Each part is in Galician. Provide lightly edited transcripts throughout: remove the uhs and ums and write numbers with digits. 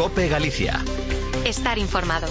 COPE Galicia. Estar informado.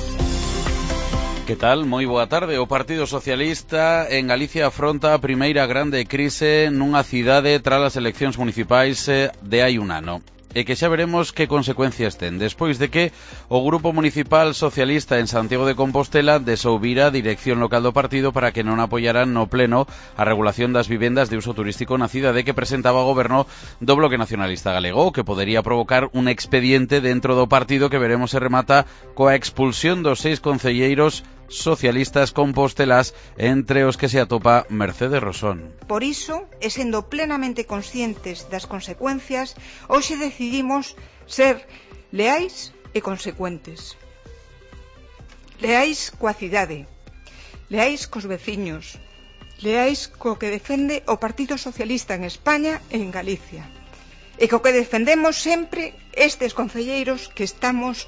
Que tal? Moi boa tarde. O Partido Socialista en Galicia afronta a primeira grande crise nunha cidade tras as eleccións municipais de hai un ano. E que xa veremos que consecuencias ten, despois de que o Grupo Municipal Socialista en Santiago de Compostela desouvira a dirección local do partido para que non apoyaran no pleno a regulación das vivendas de uso turístico na cidade que presentaba o goberno do Bloque Nacionalista Galego, que podería provocar un expediente dentro do partido que veremos se remata coa expulsión dos 6 concelleiros socialistas compostelás, entre os que se atopa Mercedes Rosón. Por iso, e sendo plenamente conscientes das consecuencias, hoxe decidimos ser leais e consecuentes. Leais coa cidade, leais cos veciños, leais co que defende o Partido Socialista en España e en Galicia, e co que defendemos sempre estes concelleiros que estamos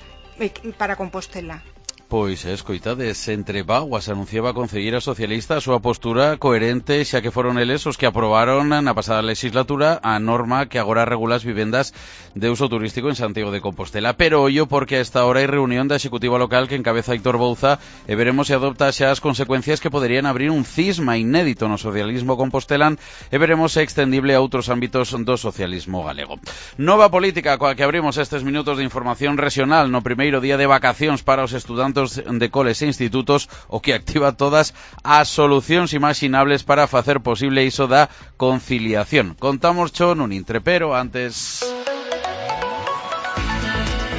para Compostela. Pois, escoitades, entre vaguas anunciaba a concelleira socialista a súa postura coherente, xa que foron eles os que aprobaron na pasada legislatura a norma que agora regula as vivendas de uso turístico en Santiago de Compostela. Pero ollo, porque a esta hora hai reunión da Executiva Local que encabeza Aitor Bouza e veremos se adopta xa as consecuencias que poderían abrir un cisma inédito no socialismo compostelán e veremos se extendible a outros ámbitos do socialismo galego. Nova política coa que abrimos estes minutos de información regional no primeiro día de vacacións para os estudantes de coles e institutos, o que activa todas as solucións imaxinables para facer posible iso da conciliación. Contamos cho nun intre, pero antes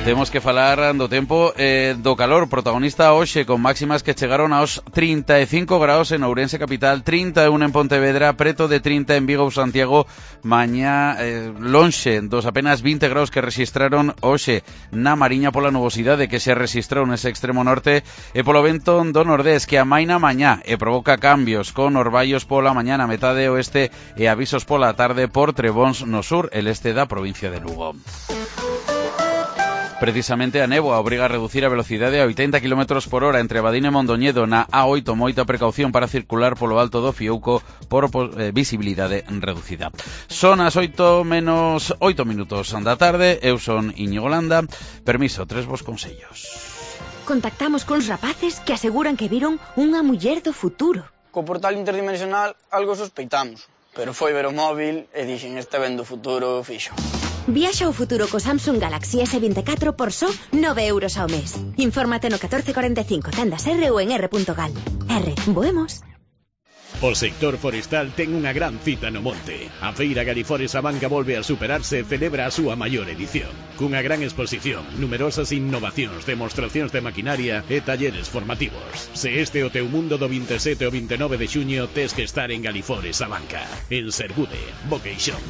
temos que falar do tempo do calor, protagonista hoxe con máximas que chegaron aos 35 graus en Ourense capital, 31 en Pontevedra, preto de 30 en Vigo ou Santiago, mañá lonxe dos apenas 20 graus que registraron hoxe na Mariña pola nubosidade que se registrou nese extremo norte e polo vento do nordés que amaina mañá e provoca cambios con orballos pola mañá na metade oeste e avisos pola tarde por trebóns no sur e leste da provincia de Lugo. Precisamente a néboa obriga a reducir a velocidade a 80 km por hora entre Abadín e Mondoñedo na A8, moita precaución para circular polo alto do Fiouco por visibilidade reducida. Son as 8 menos 8 minutos da tarde, eu son Íñigo Landa, permiso, 3 vos consellos. Contactamos cuns rapaces que aseguran que viron unha muller do futuro. Co portal interdimensional algo sospeitamos, pero foi ver o móvil e dixen este ben do futuro fixo. Viaxa ao futuro co Samsung Galaxy S24 por só 9 euros ao mes. Infórmate no 1445, tendas R ou en r.gal. R, voemos. O sector forestal ten unha gran cita no monte. A Feira Galifores Abanca volve a superarse e celebra a súa maior edición. Cunha gran exposición, numerosas innovacións, demostracións de maquinaria e talleres formativos. Se este é o teu mundo do 27 ao 29 de xuño, tes que estar en Galifores Abanca. En Sergude, Boqueixón.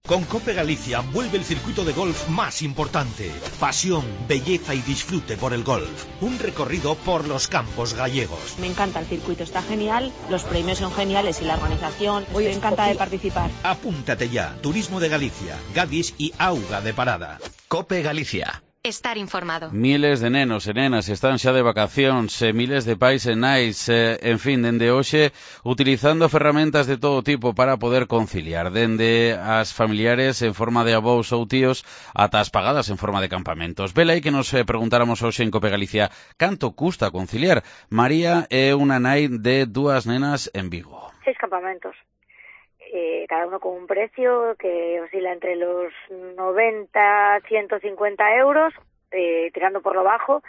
Con COPE Galicia vuelve el circuito de golf más importante. Pasión, belleza y disfrute por el golf. Un recorrido por los campos gallegos. Me encanta el circuito, está genial, los premios son geniales y la organización. Estoy encantada de participar. Apúntate ya. Turismo de Galicia, Gadis y Auga de Parada. COPE Galicia. Estar informado. Miles de nenos e nenas están xa de vacacións, miles de pais e nais, en fin, dende hoxe, utilizando ferramentas de todo tipo para poder conciliar, dende as familiares en forma de avós ou tíos ata as pagadas en forma de campamentos. Vela aí que nos preguntáramos hoxe en COPE Galicia canto custa conciliar. María é unha nai de 2 nenas en Vigo. 6 campamentos. Cada uno con un precio que oscila entre los 90, 150 euros, tirando por lo bajo,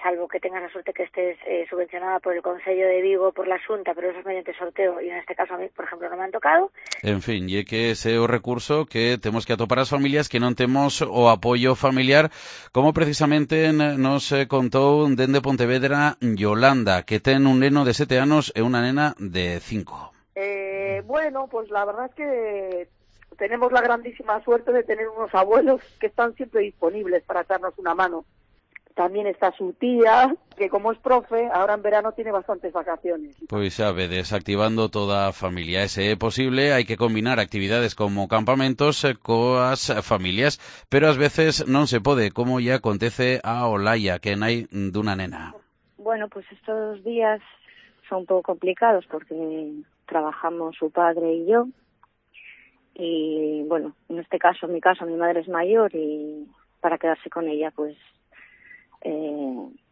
salvo que tengas la suerte que estés subvencionada por el Concello de Vigo, por la Xunta, pero eso es mediante sorteo, y en este caso a mí, por ejemplo, no me han tocado. En fin, e que ese é o recurso que temos que atopar as familias que non temos o apoio familiar, como precisamente nos contou dende Pontevedra Yolanda, que ten un neno de 7 anos e unha nena de 5. Bueno, pues la verdad es que tenemos la grandísima suerte de tener unos abuelos que están siempre disponibles para echarnos una mano. También está su tía, que como es profe, ahora en verano tiene bastantes vacaciones. Pois xa vedes, activando toda a familia. Ese é posible, hai que combinar actividades como campamentos coas familias, pero ás veces non se pode, como ya acontece a Olaya, que nai dunha nena. Bueno, pues estos días son un poco complicados porque trabajamos su padre y yo, y bueno, en este caso, en mi caso, mi madre es mayor y para quedarse con ella, pues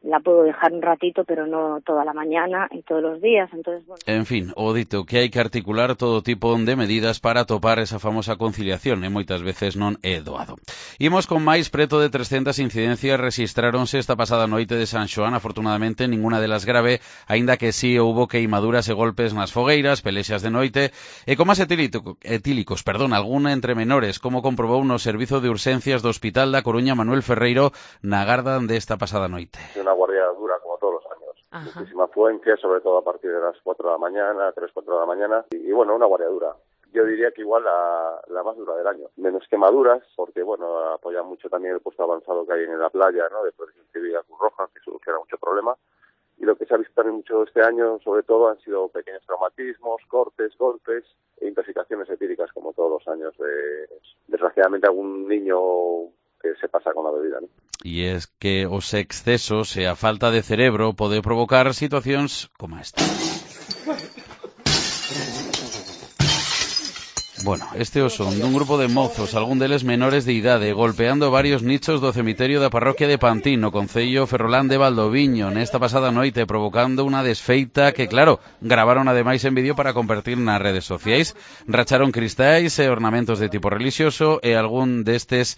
la puedo dejar un ratito, pero no toda la mañana y todos los días, entonces, bueno. En fin, o dito que hai que articular todo tipo de medidas para atopar esa famosa conciliación e moitas veces non é doado. Imos con máis, preto de 300 incidencias rexistráronse esta pasada noite de San Xoán, afortunadamente ninguna delas grave, aínda que sí houbo queimaduras e golpes nas fogueiras, pelexas de noite e comas etílicos, algún entre menores, como comprobou no Servizo de Urxencias do Hospital da Coruña Manuel Ferreiro na garda desta pasada noite. Una guardia dura como todos los años. Ajá. Muchísima afluencia, sobre todo a partir de las 4 de la mañana, 3, 4 de la mañana. Y bueno, una guardia dura. Yo diría que igual la más dura del año. Menos quemaduras, porque bueno, apoya mucho también el puesto avanzado que hay en la playa, ¿no? De Protección Civil y Cruz Roja, que soluciona mucho problema. Y lo que se ha visto también mucho este año, sobre todo, han sido pequeños traumatismos, cortes, golpes e intoxicaciones etíricas, como todos los años. Desgraciadamente algún niño que se pasa con la bebida, ¿no? E es que os excesos e a falta de cerebro pode provocar situacións como esta. Bueno, este é o son dun grupo de mozos, algún deles menores de idade, golpeando varios nichos do cemiterio da parroquia de Pantín, no concello ferrolán de Valdoviño, nesta pasada noite, provocando unha desfeita que, claro, gravaron ademais en vídeo para compartir nas redes sociais. Racharon cristais e ornamentos de tipo religioso e algún destes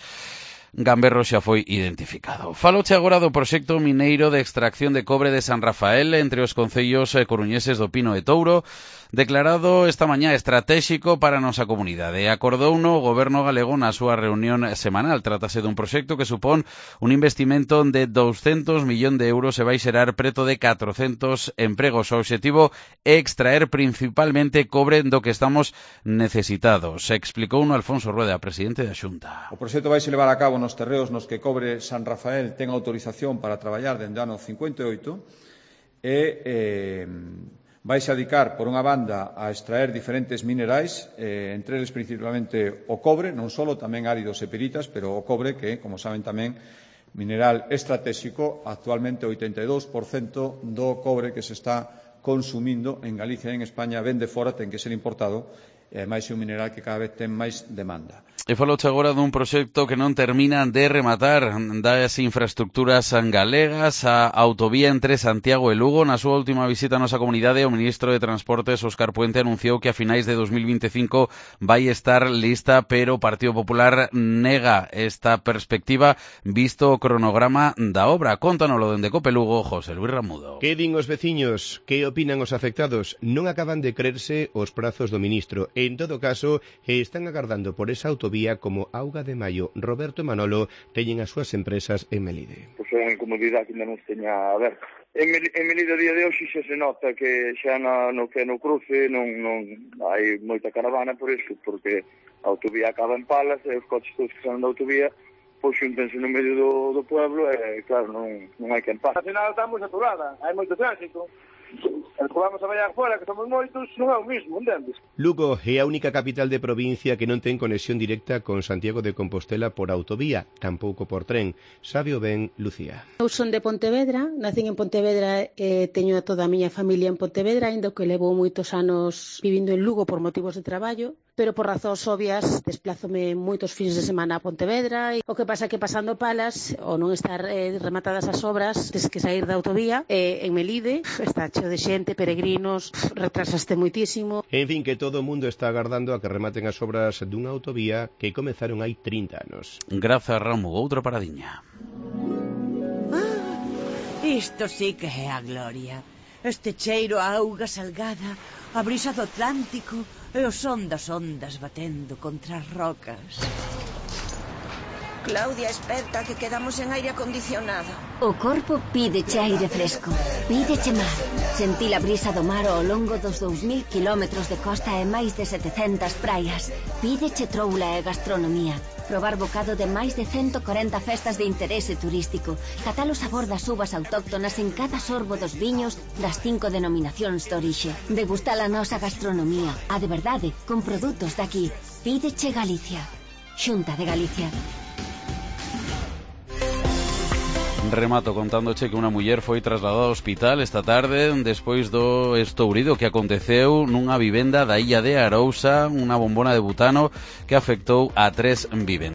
gamberro xa foi identificado. Faloche agora do proxecto mineiro de extracción de cobre de San Rafael entre os concellos coruñeses do Pino e Touro, declarado esta mañá estratéxico para a nosa comunidade. Acordouno o goberno galego na súa reunión semanal. Trátase dun proxecto que supón un investimento de 200 millóns de euros e vai xerar preto de 400 empregos. O obxectivo é extraer principalmente cobre do que estamos necesitados. Explicouno Alfonso Rueda, presidente da Xunta. O proxecto vai se levar a cabo nos terreos nos que Cobre San Rafael ten autorización para traballar dende o ano 58 e vaise a dedicar, por unha banda, a extraer diferentes minerais, entre eles principalmente o cobre, non só tamén áridos e piritas, pero o cobre que, como saben tamén, mineral estratégico, actualmente o 82% do cobre que se está consumindo en Galicia e en España ven de fora, ten que ser importado, e máis é un mineral que cada vez ten máis demanda. E faloche agora dun proxecto que non termina de rematar das infraestructuras galegas, a autovía entre Santiago e Lugo. Na súa última visita a nosa comunidade, o ministro de Transportes, Óscar Puente, anunciou que a finais de 2025 vai estar lista, pero o Partido Popular nega esta perspectiva visto o cronograma da obra. Contánoslo dende Copelugo, José Luis Ramudo. Que din os veciños? Que opinan os afectados? Non acaban de creerse os prazos do ministro. En todo caso, están agardando por esa autovía como Auga de Maio. Roberto e Manolo teñen as súas empresas en Melide. Pois é unha incomodidade que ainda non se teña aberta. En Melide a día de hoxe xa se nota que xa no cruce non hai moita caravana por iso, porque a autovía acaba en Palas e os coches todos que salen da autovía pois xuntense no medio do pueblo e claro, non hai quen pase. A final está moi saturada, hai moito tránsito. El que vamos a vallar fora, que somos moitos, non é o mismo, entendes? Lugo é a única capital de provincia que non ten conexión directa con Santiago de Compostela por autovía, tampouco por tren. Sabe o ben Lucía. Eu son de Pontevedra, nacín en Pontevedra e teño a toda a miña familia en Pontevedra, ainda que levo moitos anos vivindo en Lugo por motivos de traballo, pero por razóns obvias desplázome moitos fins de semana a Pontevedra e o que pasa que pasando Palas, ou non estar rematadas as obras, tens que sair da autovía, en Melide está cheo de xente, peregrinos, retrasaste moitísimo. En fin, que todo o mundo está agardando a que rematen as obras dunha autovía que comezaron hai 30 anos. Grazas, Ramu, outra paradiña. Isto sí que é a gloria. Este cheiro a auga salgada, a brisa do Atlántico e o son das ondas batendo contra as rocas. Claudia, esperta, que quedamos en aire acondicionado. O corpo pídeche aire fresco, pídeche mar. Sentí a brisa do mar ao longo dos 2000 kilómetros de costa e máis de 700 praias. Pídeche troula e gastronomía. Probar bocado de máis de 140 festas de interese turístico. Catar o sabor das uvas autóctonas en cada sorbo dos viños das 5 denominacións de orixe. Degustar a nosa gastronomía, a de verdade, con produtos daqui. Pídeche Galicia. Xunta de Galicia. Remato contándoche que unha muller foi trasladada ao hospital esta tarde despois do estourido que aconteceu nunha vivenda da illa de Arousa, unha bombona de butano que afectou a 3 vivendas.